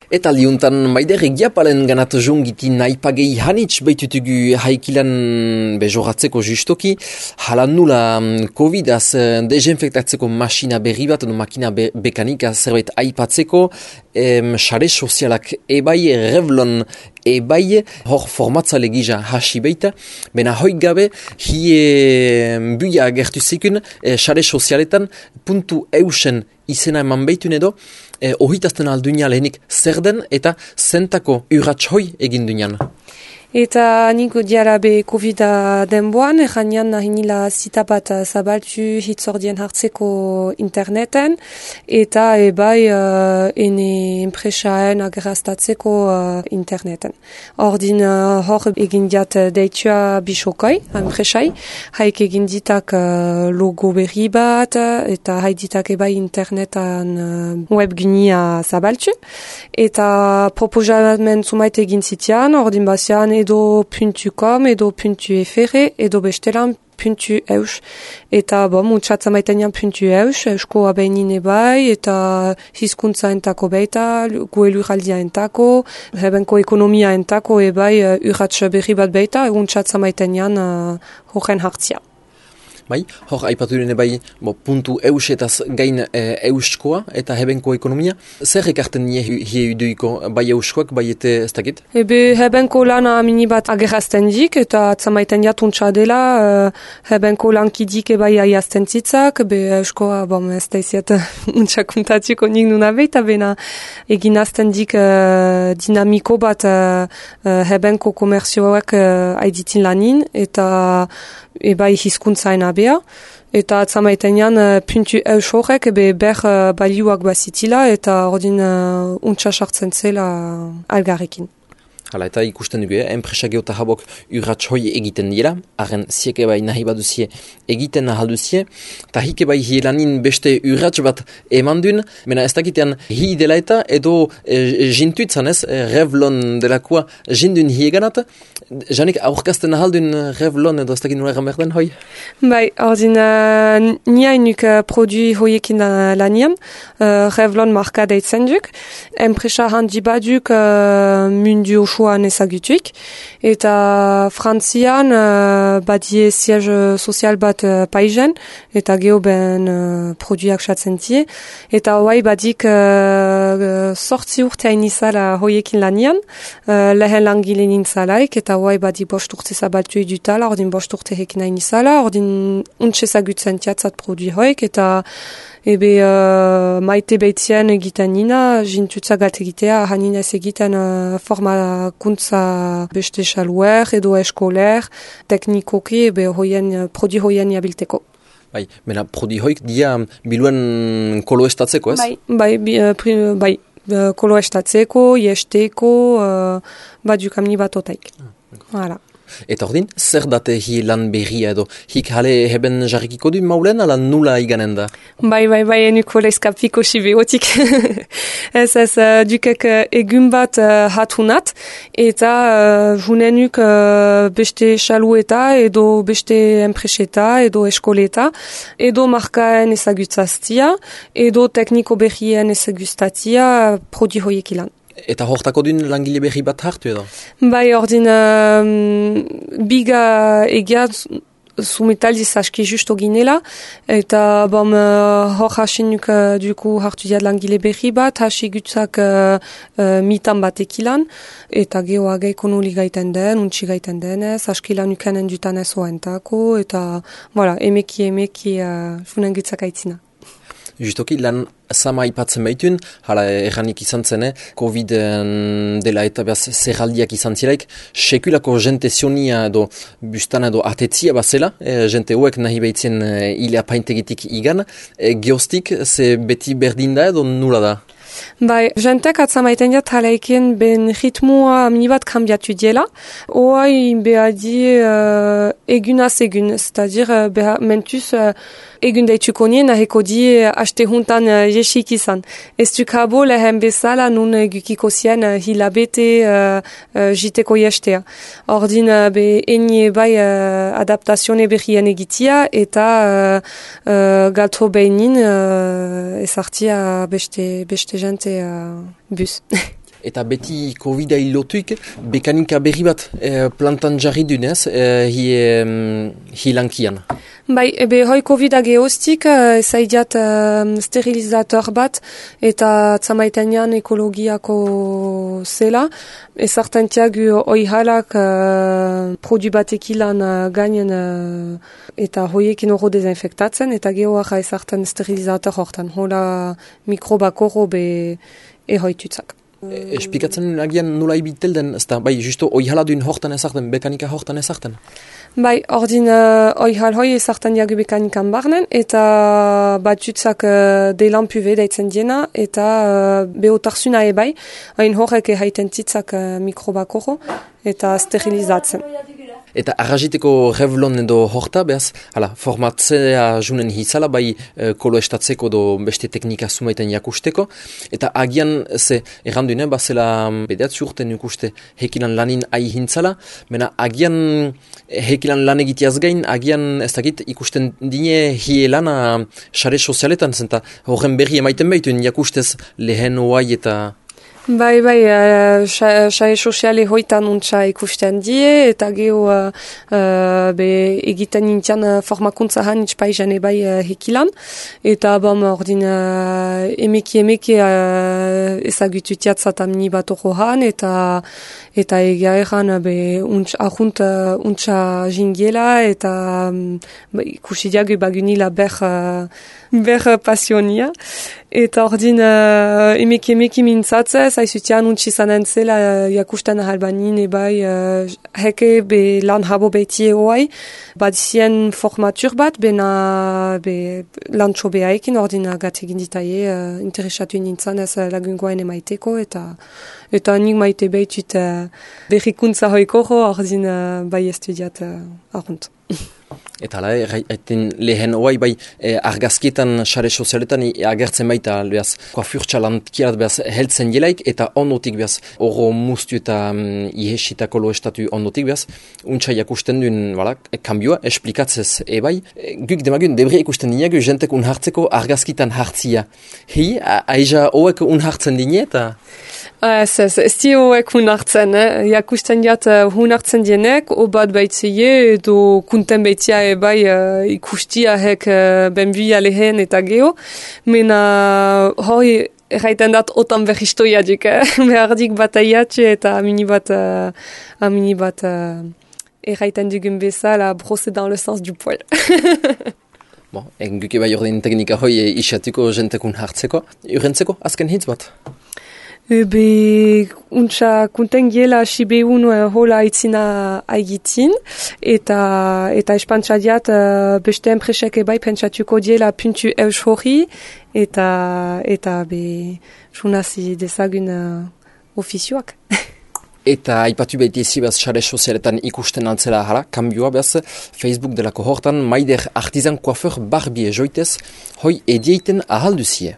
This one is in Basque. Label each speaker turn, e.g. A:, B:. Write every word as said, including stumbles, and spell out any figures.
A: Eta liuntan maider egiapalen ganat jongiti naipagei hanitz baitutugu haikilan bejoratzeko justoki, halan nula Covidaz desinfektatzeko masina berri bat, no makina be bekanika zerbait aipatzeko, em, sare sozialak ebai, Revlon ebai, hor formatzale gisa hasi baita, bena hoik gabe, hie buia gertu zekun, sare sozialetan, puntu eusen izena eman baitun edo, eh, ohitazten aldunia lehenik zer den eta zentako urratxhoi egin duinan.
B: Eta niko diara be Covida denboan, erranian nahi nila zita bat zabaltu hitzordien hartzeko interneten, eta ebai uh, ene enpresaen ageraztatzeko uh, interneten. Ordin uh, hor egin diat deitua bisokoi, enpresai, haik egin ditak uh, logo berri bat, eta haik ditak ebai internetan uh, webgunia zabaltu, eta proposament zumait egin zitian, ordin bazian edo puntu com, edo puntu fr, edo bestelan puntu eus. Eta bo, mutxatza maitenean puntu eus, eusko abeinin ebai, eta hizkuntza entako beita, guelur aldia entako, hebenko ekonomia entako ebai uh, urratx berri bat beita, egun txatza maitenean uh, horren hartzia.
A: Bai, hor aipatu dune bai, bo, puntu eus etaz gain e, euskoa eta hebenko ekonomia. Zer ekarten nie hie uduiko bai euskoak, bai ete ez dakit?
B: Ebe hebenko lana mini bat agerazten dik, eta atzamaiten jatuntza dela, uh, hebenko lankidik ebai aiazten zitzak, be euskoa, bom, ez da iziet untxakuntatuko nik nuna beita, bena egin azten dik uh, dinamiko bat uh, uh, hebenko komerzioak uh, aiditin lanin, eta ebai hizkuntzaen abea, eta atzamaitenean uh, puntu eus horrek ebe ber uh, baliuak bazitila, eta ordin uh, untsa sartzen zela algarrekin.
A: Hala, eta ikusten dugu, eh? Enpresa geota habok urratxhoi egiten dira, arren zieke bai nahi baduzie egiten ahalduzie, eta hike bai hielanin beste urratx bat eman duen, mena ez dakitean hi dela eta edo e, jintuitzan ez, e, Revlon delakoa jindun hieganat, janik aurkazten ahaldun Revlon edo ez dakit nula egan berden hoi?
B: Bai, ordin uh, niainuk uh, produi hoiekin uh, lanian, uh, Revlon marka deitzen duk, enpresa handi baduk uh, mundu osoan ezagutuik, eta Frantzian uh, badie siège sozial bat uh, paizen, eta geho ben uh, produiak satzen tie, eta hoai badik uh, sortzi urte hainizala hoiekin lanian, uh, lehen langile nintzalaik, eta hoai badik bost urte zabaltu edutala, ordin bost urte hekin hainizala, ordin untxe ezagutzen tiatzat produi hoik, eta ebe uh, maite behitzien egiten nina, jintutza gat egitea, hanin ez egiten uh, formakuntza beste xaluer edo eskoler, teknikoki, ebe hoien, prodi hoien jabilteko.
A: Bai, mena prodi hoik dia biluen koloestatzeko, ez?
B: Bai, bai, bi, uh, pri, bai uh, koloestatzeko, iesteko, uh, badukam bat otaik. Ah, voilà.
A: Eta ordin, zer date hi lan berria edo, hik hale heben jarrikiko du maulen, ala nula iganen da?
B: Bai, bai, bai, enuko leskapiko sibeotik. ez ez, uh, dukek uh, egun bat uh, hatunat, eta uh, junenuk uh, beste xalueta, edo beste enpreseta, edo eskoleta, edo markaen ezagutzaztia, edo tekniko berrien ezaguztatia prodi hoiek ilan.
A: Eta hortako duen langile berri bat hartu edo?
B: Bai, ordin um, biga egia sumetaldiz aski justo ginela, eta bom uh, hor hasinuk uh, duku hartu diat langile berri bat, hasi gutzak uh, uh, mitan bat ekilan, eta gehoa geikono gaiten den, untsi gaiten denez, askilan ukenen dutan ez oentako, eta voilà, emeki emeki uh, funen gutzak aitzina.
A: Justoki, lan sama ipatzen baitun, hala erranik izan zen, Covid dela eta behaz zerraldiak izan zilaik, sekulako jente zionia edo bustan edo atetzia bazela, e, jente hoek nahi behitzen e, ilea paintegitik igan, e, geostik, ze beti berdin da edo nula da?
B: Bai, jentek atzamaiten jat halaikien ben ritmoa minibat kambiatu diela. Oai behadi uh, egunaz egun, c'est-à-dire uh, beha, mentuz uh, egun daituko nien aheko di haste juntan uh, jesik izan. Ez dukabo lehen bezala nun gukiko zien uh, hilabete uh, uh, jiteko jestea. Ordin uh, be enie bai uh, adaptazione berrien egitia eta uh, uh, galto behinin uh, ezartia beste, beste jente uh, bus.
A: eta beti Covid-ai lotuik, bekanika berri bat e, plantan jarri dunez, e, hi, e, hi lankian.
B: Bai, ebe hoi Covid-a geostik, ezaidiat uh, sterilizator bat, eta tzamaitenean ekologiako zela. Ezartantiak hoi halak uh, produ batekilan uh, gainen uh, eta hoiekin horro dezinfektatzen, eta gehoaja ezartan sterilizator hortan. Hola mikrobak horro be ehoitutzak.
A: Esplikatzen agian nola ibitel den, ez da, bai, justo oihala duen hortan ezarten, bekanika hortan ezarten?
B: Bai, ordin uh, oihal hoi ezartan diagu bekanikan barnen, eta batzutzak uh, delan puve daitzen diena, eta uh, behotarsuna ebai, hain horrek ehaiten titzak uh, mikrobakoro, eta sterilizatzen.
A: Eta arraziteko revlon edo horta, behaz, hala, formatzea junen hizala, bai e, koloestatzeko do beste teknika sumaiten jakusteko, eta agian, ze, erranduine, bazela bedeatzi urten ikuste hekilan lanin ahi hintzala, mena agian hekilan lan egiteaz gain, agian ez dakit ikusten dine hie lana sare sozialetan, zenta horren berri emaiten behituen jakustez lehen oai eta...
B: Bai, bai, uh, sae soziale hoitan untsa ikusten die, eta geho uh, uh, be egiten nintian uh, formakuntza han itxpaizan ebai uh, hekilan, eta bam ordin uh, emeki emeki uh, ezagututiat zatamni bat oro han, eta eta egia erran be untsa ahunt uh, untsa jingiela, eta um, ikusi diagu bagunila ber, uh, ber pasionia, eta ordin uh, emeki emeki mintzatzez, haizutian untsi zanen zela uh, jakusten ahalbanin ebai uh, heke be lan habo behitie hoai, badizien formatur bat, bena be lan txobeaikin ordin agat egin ditaie, uh, interesatu nintzen ez lagungoain emaiteko, eta eta nik maite behitut uh, berrikuntza hoikoro, ordin uh, bai estudiat uh, argunt.
A: Eta hala, haiten lehen oai bai eh, argazkietan sare sozialetan e, agertzen baita behaz, koafurtsa lantkiat behaz heltzen jelaik, eta ondotik behaz oro mustu eta um, ihesita koloestatu ondotik behaz, untsa jakusten duen, wala, e, kambioa, esplikatzez ebai. E, guk demagun, debre ikusten dineagu, jentek unhartzeko argazkitan hartzia. Hi, aiza oek unhartzen dine eta...
B: Ez, ez, ez di hoek hunartzen, eh? Jakusten jat uh, hunartzen dienek, obat baitzeie, edo kunten baitzia ebai uh, ikustia hek uh, benbia lehen eta geho, mena hoi erraiten dat otan berristoia dik, eh? Behardik bat aiatxe eta amini bat, uh, amini bat uh, erraiten dugun bezala brosser dans le sens du poil.
A: Bon, enguke bai ordin teknika hoi e, isatuko jentekun hartzeko, urrentzeko azken hitz bat?
B: Ebe, untsa kunten giela sibeun uh, hola itzina aigitin, eta eta espantsa diat uh, beste enpresek ebai pentsatuko diela puntu eus hori, eta eta be junazi dezagun uh, ofizioak.
A: Eta aipatu behiti ezi behaz sare sozialetan ikusten altzela hala, kambioa behaz, Facebook delako hortan, maider artizan koafer barbie joitez, hoi edieiten ahalduzie.